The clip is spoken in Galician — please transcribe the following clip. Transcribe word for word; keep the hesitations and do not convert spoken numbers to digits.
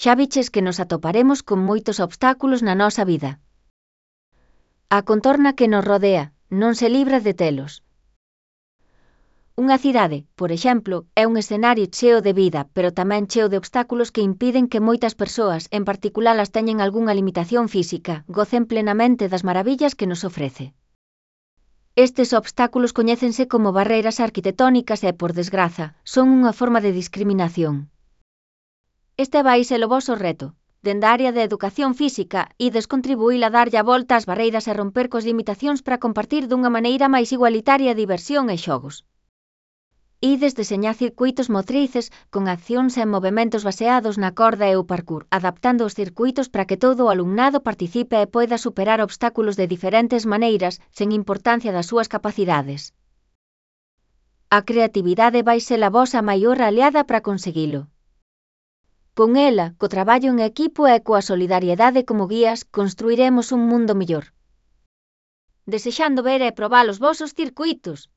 Xa viches que nos atoparemos con moitos obstáculos na nosa vida. A contorna que nos rodea non se libra de telos. Unha cidade, por exemplo, é un escenario cheo de vida, pero tamén cheo de obstáculos que impiden que moitas persoas, en particular as teñen algunha limitación física, gocen plenamente das maravillas que nos ofrece. Estes obstáculos coñécense como barreiras arquitectónicas e, por desgraza, son unha forma de discriminación. Este vai ser o voso reto. Dende a área de educación física, ides contribuir a darlle a volta ás barreiras e romper coas limitacións para compartir dunha maneira máis igualitaria diversión e xogos. Ides deseñar circuitos motrices con accións e movementos baseados na corda e o parkour, adaptando os circuitos para que todo o alumnado participe e poida superar obstáculos de diferentes maneiras, sen importancia das súas capacidades. A creatividade vai ser a vosa maior aliada para conseguilo. Con ela, co traballo en equipo e coa solidariedade como guías, construiremos un mundo mellor. Desexando ver e probar os vosos circuitos.